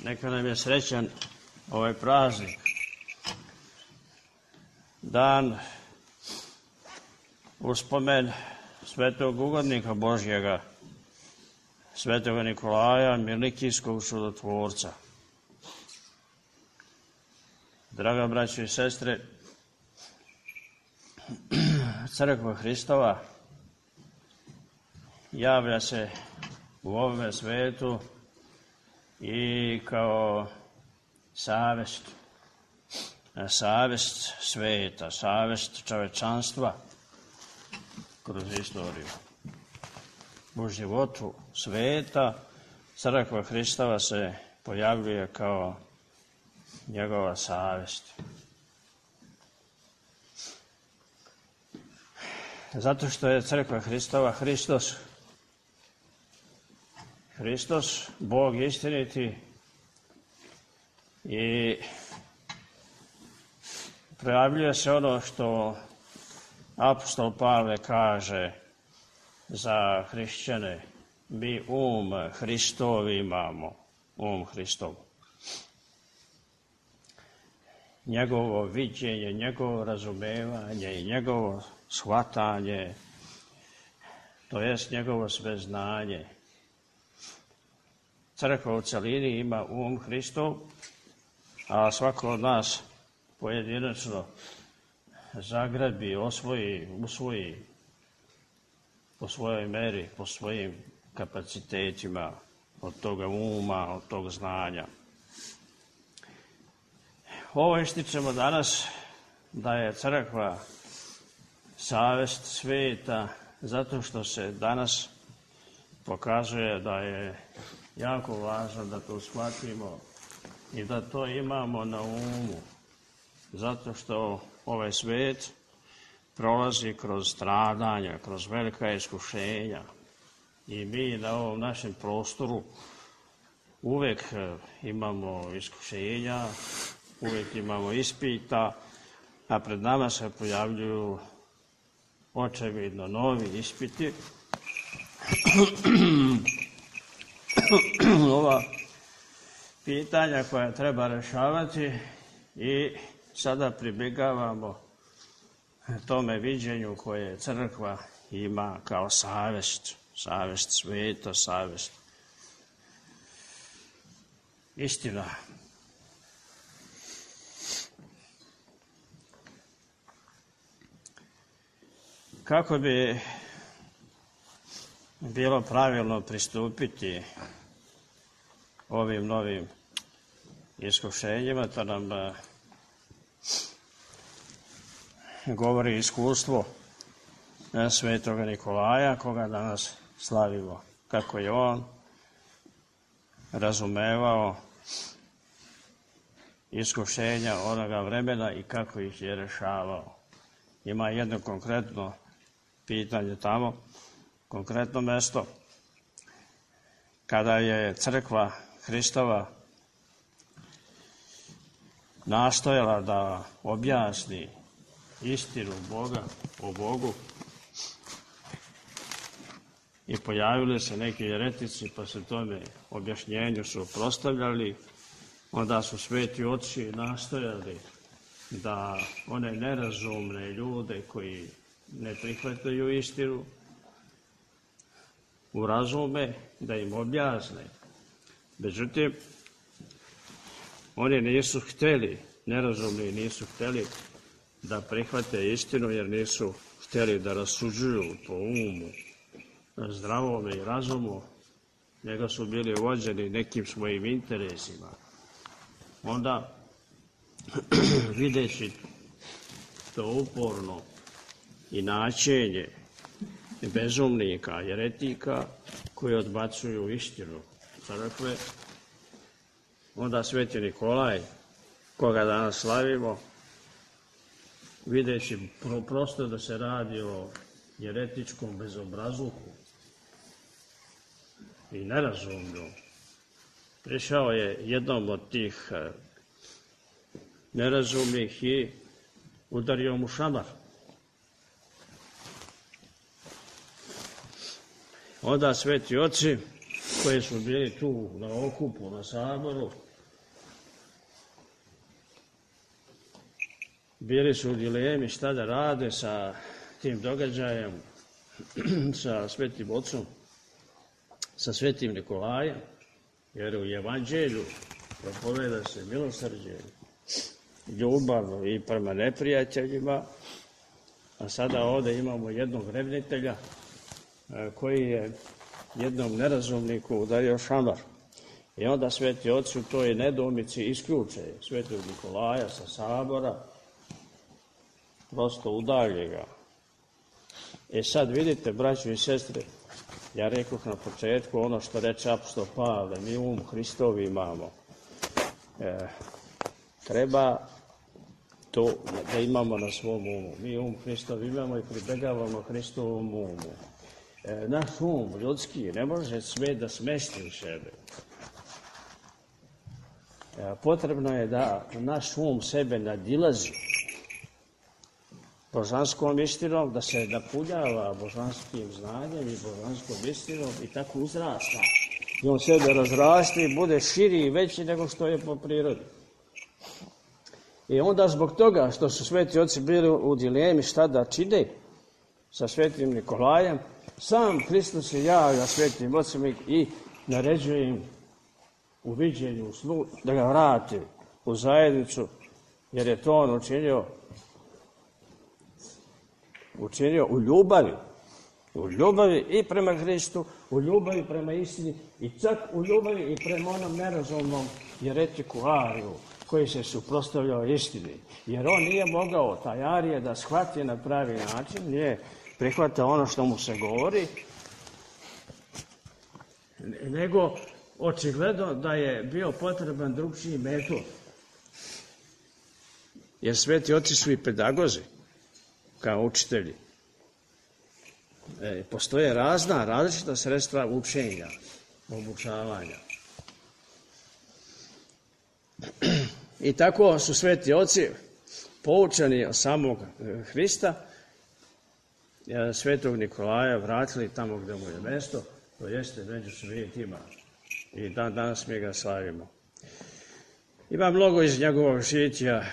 Neka nam je srećan ovaj praznik. Dan uspomen svetog ugodnika Božjega, svetog Nikolaja, Milikijskog čudotvorca. Draga braćo i sestre, Crkva Hristova javlja se u ovome svetu i kao savest sveta, savest čovečanstva kroz istoriju. U životu sveta Crkva Hristova se pojavljuje kao njegova savest. Zato što je Crkva Hristova Hristos, Bog istiniti, i projavljuje se ono što apostol Pavle kaže za hrišćane: mi Hristov imamo, Hristov. Njegovo viđenje, njegovo razumevanje i njegovo shvatanje, to jest njegovo sveznanje. Crkva u celini ima Hristov, a svako od nas pojedinačno zagrabi, usvoji po svojoj meri, po svojim kapacitetima od toga od tog znanja. Ovo ističemo danas da je crkva savest sveta, zato što se danas pokazuje da je jako važno da to shvatimo i da to imamo na umu, zato što ovaj svet prolazi kroz stradanja, kroz velika iskušenja i mi na ovom našem prostoru uvek imamo iskušenja, uvek imamo ispita, a pred nama se pojavljuju očevidno novi ispiti. Ova pitanja koja treba rešavati i sada pribjegavamo tome viđenju koje crkva ima kao savest sveta, savest istina. Kako bi bilo pravilno pristupiti ovim novim iskušenjima, to nam govori iskustvo svetoga Nikolaja, koga danas slavimo, kako je on razumevao iskušenja onoga vremena i kako ih je rešavao. Ima jedno konkretno pitanje tamo, konkretno mesto, kada je Crkva Hristova nastojala da objasni istinu Boga o Bogu i pojavili se neki jeretici pa se tome objašnjenju suprotstavljali, onda su sveti oci nastojali da one nerazumne ljude koji ne prihvataju istinu urazume, da im objasne. Međutim, oni nisu hteli, nerazumni nisu hteli da prihvate istinu, jer nisu hteli da rasuđuju po umu, zdravome i razumu, nego su bili vođeni nekim svojim interesima. Onda, videći to uporno i načenje bezumnika, jeretika koji odbacuju istinu crkve, onda sveti Nikolaj, koga danas slavimo, videći prosto da se radi o jeretičkom bezobrazluku i nerazumlju, prišao je jednom od tih nerazumnih i udario mu šamar. Onda sveti oci koji su bili tu na okupu, na saboru, bili su u dilemi šta da rade sa tim događajem, sa Svetim Ocom, sa Svetim Nikolajem, jer u Evanđelju propoveda se milosrđe, ljubav i prema neprijateljima, a sada ovdje imamo jednog revnitelja koji je jednom nerazumniku udario šamar. I onda Sveti Oci u toj nedoumici isključe Svetog Nikolaja sa sabora, prosto udalje ga. Sad vidite, braćo i sestre, ja rekoh na početku ono što reče apostol Pavle, mi Hristovi imamo. Treba to da imamo na svom umu. Mi Hristovi imamo i pribegavamo Hristovom umu. Naš ljudski ne može sve da smesti u sebe. Potrebno je da naš sebe nadilazi božanskom istinom, da se napunjava božanskim znanjem i božanskom istinom i tako uzrasta. I on sebe razrasti i bude širi i veći nego što je po prirodi. I onda zbog toga što su Sveti Oci bili u dilemi šta da čine sa Svetim Nikolajem, sam Hristos se javlja Svetim Ocima i naređuje im u viđenju, u snu, da ga vrati u zajednicu, jer je to on učinio u ljubavi i prema Hristu, u ljubavi prema istini i čak u ljubavi i prema onom nerazumnom jeretiku Ariju koji se suprotstavljao istini. Jer on nije mogao, taj Arije, da shvati na pravi način, nije prihvatao ono što mu se govori, nego očigledno da je bio potreban drugčiji metod. Jer Sveti Oci su i pedagozi, kao učitelji. Postoje različita sredstva učenja, obučavanja. I tako su Sveti Oci poučeni od samog Hrista, Svetog Nikolaja vratili tamo gdje mu je mesto, to jeste među svetima. I danas mi ga slavimo. Ima mnogo iz njegovog žića,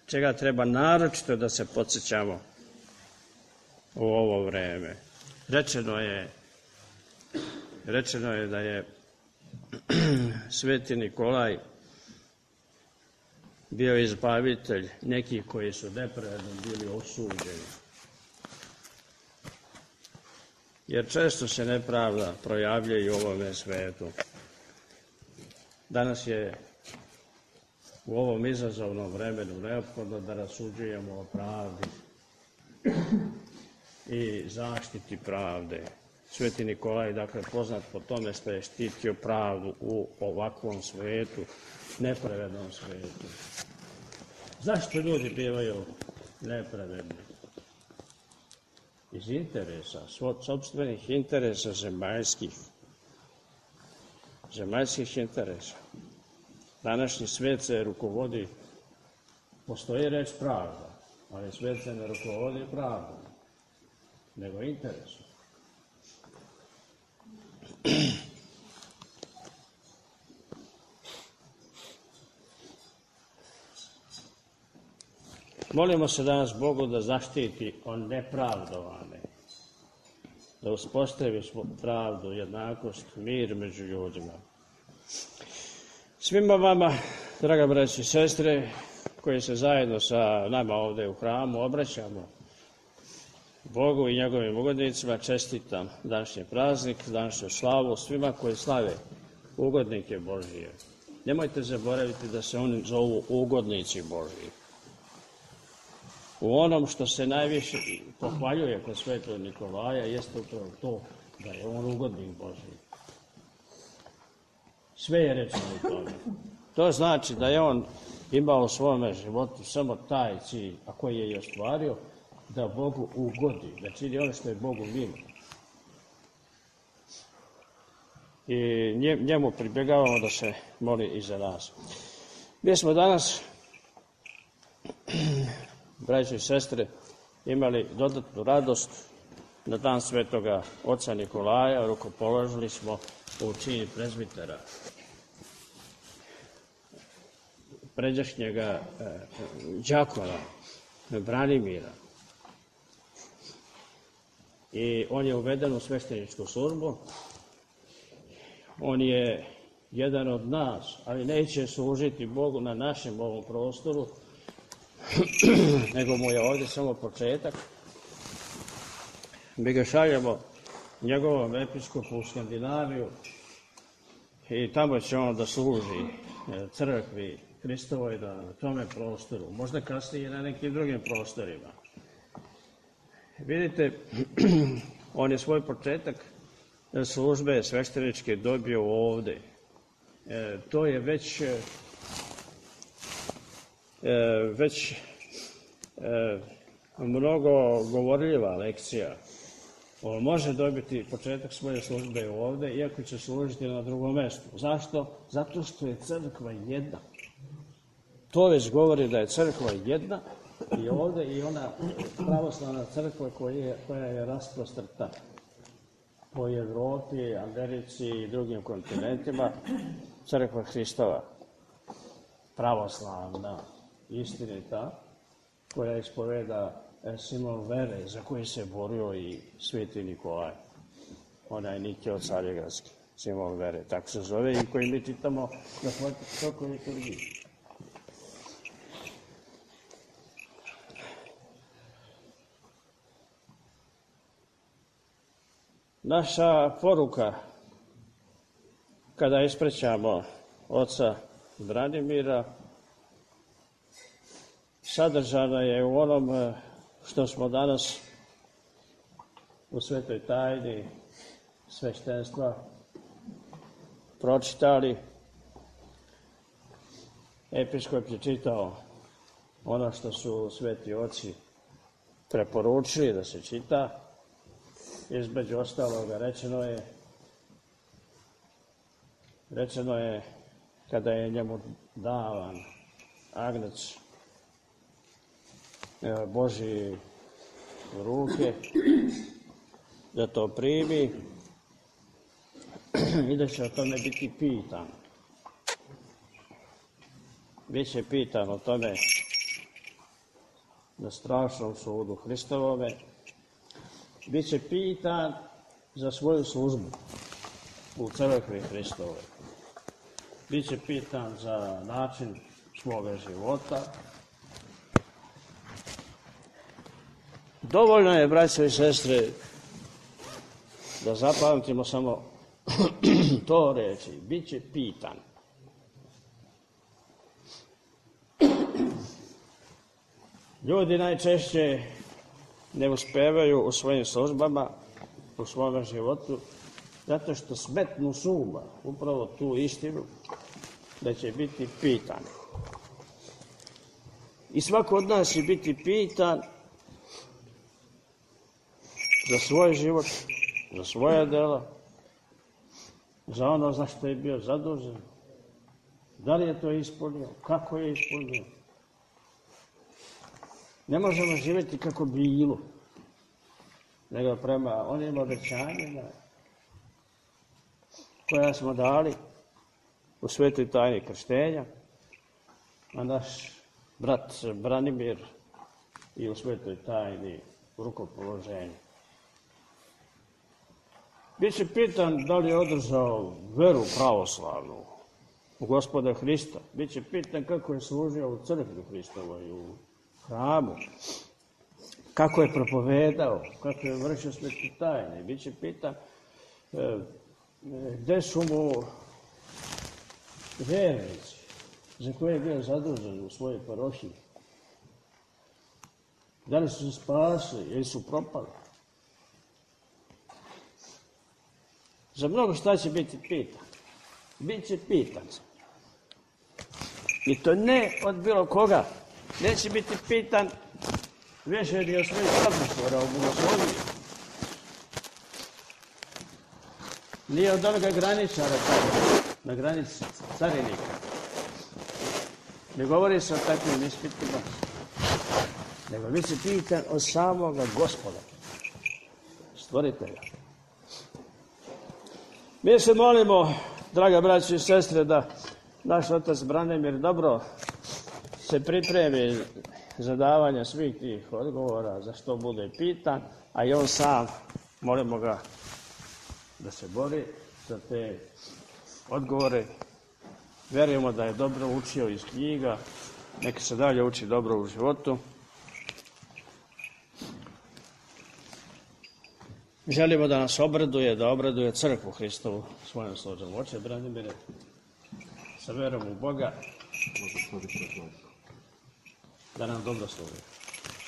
čega treba naročito da se podsjećamo u ovo vreme. Rečeno je da je Sveti Nikolaj bio izbavitelj nekih koji su nepravedno bili osuđeni. Jer često se nepravda projavljuje i u ovome svetu. Danas je u ovom izazovnom vremenu neophodno da rasuđujemo o pravdi i zaštiti pravde. Sveti Nikolaj, dakle, poznat po tome što je štitio pravdu u ovakvom svetu, nepravednom svetu. Zašto ljudi bivaju nepravedni? Iz interesa, sopstvenih interesa zemaljskih interesa. Današnji svijet se rukovodi, postoji reč pravda, ali svijet se ne rukovodi pravdom, nego interesom. Molimo se danas Bogu da zaštiti on nepravdovane, da uspostavi pravdu, jednakost, mir među ljudima. Svima vama, draga braći i sestre, koji se zajedno sa nama ovdje u hramu obraćamo Bogu i njegovim ugodnicima, čestitam današnji praznik, današnju slavu svima koji slave ugodnike Božije. Nemojte zaboraviti da se oni zovu ugodnici Božiji. U onom što se najviše pohvaljuje kod Svetog Nikolaja jeste upravo to da je on ugodnik Božiji. Sve je rečeno u tome. To znači da je on imao u svome životu samo taj cilj, a koji je i ostvario, da Bogu ugodi, da čini ono što je Bogu milo. I njemu pribjegavamo da se moli i za nas. Mi smo danas, braći i sestre, imali dodatnu radost na dan Svetoga Oca Nikolaja, rukopoložili smo u čini prezbitera. pređašnjega đakona, Branimira. I on je uveden u svešteničku službu. On je jedan od nas, ali neće služiti Bogu na našem ovom prostoru, nego mu je ovdje samo početak. Mi ga šaljemo njegovom episkopu u Skandinaviju i tamo će on da služi crkvi Hristovoj na tome prostoru, možda kasnije i na nekim drugim prostorima. Vidite, on je svoj početak službe svešteničke dobio ovdje. To je već mnogo govorljiva lekcija. On može dobiti početak svoje službe ovdje, iako će služiti na drugom mjestu. Zašto? Zato što je crkva jedna. To već govori da je crkva jedna i ovdje i ona pravoslavna crkva koja je rasprostrta po Evropi, Americi i drugim kontinentima, crkva Hristova, pravoslavna, istinita, koja ispoveda simbol vere za koji se borio i Sveti Nikolaj, onaj Nikija Carigradski, simbol vere, tako se zove i koji mi čitamo na svakoj liturgiji. Naša poruka kada isprećamo oca Branimira sadržana je u onom što smo danas u svetoj tajni sveštenstva pročitali. Episkop je čitao ono što su sveti oci preporučili da se čita. Između ostaloga rečeno je kada je njemu davan agnec Božji u ruke, da to primi i da će o tome biti pitan. Biće pitan o tome na strašnom sudu Hristovome. Biće pitan za svoju službu u crkvi Hristovoj. Biće pitan za način svoga života. Dovoljno je, braćo i sestre, da zapamtimo samo to reći. Biće pitan. Ljudi najčešće ne uspevaju u svojim službama, u svome životu, zato što smetnu s uma upravo tu istinu da će biti pitan. I svako od nas će biti pitan za svoj život, za svoja dela, za ono za što je bio zadužen. Da li je to ispunio? Kako je ispunio? Ne možemo živjeti kako bilo, nego prema onim obećanjima koja smo dali u svetoj tajni krštenja, a naš brat Branimir i u svetoj tajni rukopoloženja. Biće pitan da li je održao veru pravoslavnu u Gospoda Hrista. Biće pitan kako je služio u crkvi Hristovoj, u hramu, kako je propovedao, kako je vršio svete tajne. Biće pitan gde su mu vernici za koje je bio zadužen u svojoj parohiji. Da li su se spasili ili su propali. Za mnogo šta će biti pitan. Biće pitan. I to ne od bilo koga. Neće biti pitan više ni o svojih odnostvora u bogosloviji. Nije od onoga graničara na granici carinika. Ne govori se o takvim ispitima, nego bit će pitan od samoga Gospoda, stvoritelja. Mi se molimo, draga braći i sestre, da naš otac Branimir dobro se pripremi za davanje svih tih odgovora, za što bude pitan, a i on sam, molimo ga da se bori za te odgovore. Vjerujemo da je dobro učio iz knjiga, neka se dalje uči dobro u životu. Želimo da nas obraduje, da obraduje crkvu Hristovu svojom složom. Oče Branimire, sa verom u Boga, da nam dobro služi.